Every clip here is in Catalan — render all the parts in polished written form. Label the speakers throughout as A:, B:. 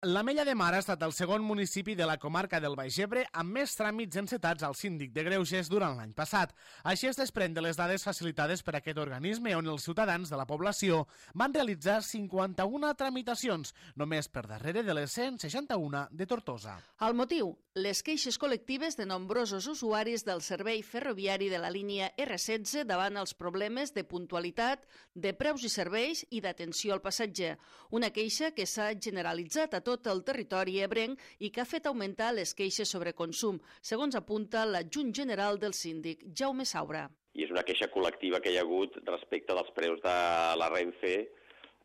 A: L'Ametlla de Mar ha estat el segon municipi de la comarca del Baix Ebre amb més tràmits encetats al síndic de Greuges durant l'any passat. Així es desprèn de les dades facilitades per aquest organisme on els ciutadans de la població van realitzar 51 tramitacions, només per darrere de les 161 de Tortosa.
B: El motiu? Les queixes col·lectives de nombrosos usuaris del servei ferroviari de la línia R16 davant els problemes de puntualitat, de preus i serveis i d'atenció al passatger. Una queixa que s'ha generalitzat a tot el territori ebrenc i que ha fet augmentar les queixes sobre consum, segons apunta l'adjunt general del síndic, Jaume Saura.
C: I és una queixa col·lectiva que hi ha hagut respecte dels preus de la Renfe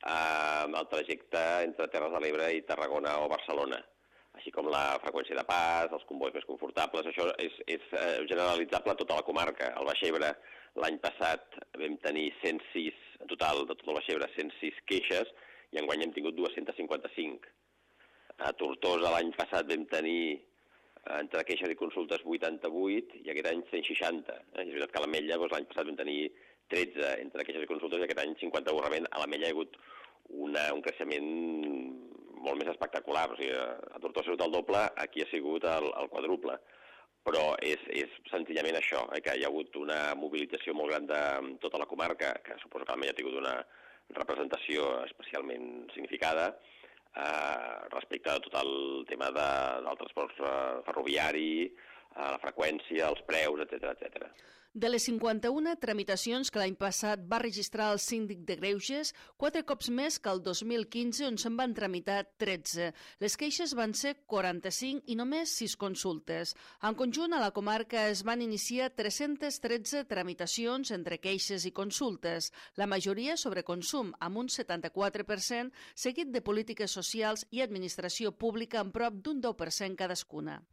C: al trajecte entre Terres de l'Ebre i Tarragona o Barcelona, així com la freqüència de pas, els combois més confortables. Això és generalitzable a tota la comarca. Al Baix Ebre l'any passat vam tenir 106, en total de tot el Baix Ebre, 106 queixes i enguany hem tingut 255. A Tortosa l'any passat vam tenir entre queixes i consultes 88 i aquest any 160. És veritat que a l'Ametlla l'any passat vam tenir 13 entre queixes i consultes i aquest any 51. Realment a l'Ametlla hi ha hagut un creixement molt més espectacular. O sigui, a Tortosa ha sigut el doble, aquí ha sigut el quadruple. Però és senzillament això, que hi ha hagut una mobilització molt gran de tota la comarca, que suposo que l'Ametlla ha tingut una representació especialment significada, respecte a tot el tema del transport ferroviari, la freqüència, els preus, etc.
B: De les 51 tramitacions que l'any passat va registrar el síndic de Greuges, 4 cops més que el 2015, on se'n van tramitar 13. Les queixes van ser 45 i només 6 consultes. En conjunt, a la comarca es van iniciar 313 tramitacions entre queixes i consultes, la majoria sobre consum, amb un 74%, seguit de polítiques socials i administració pública amb prop d'un 10% cadascuna.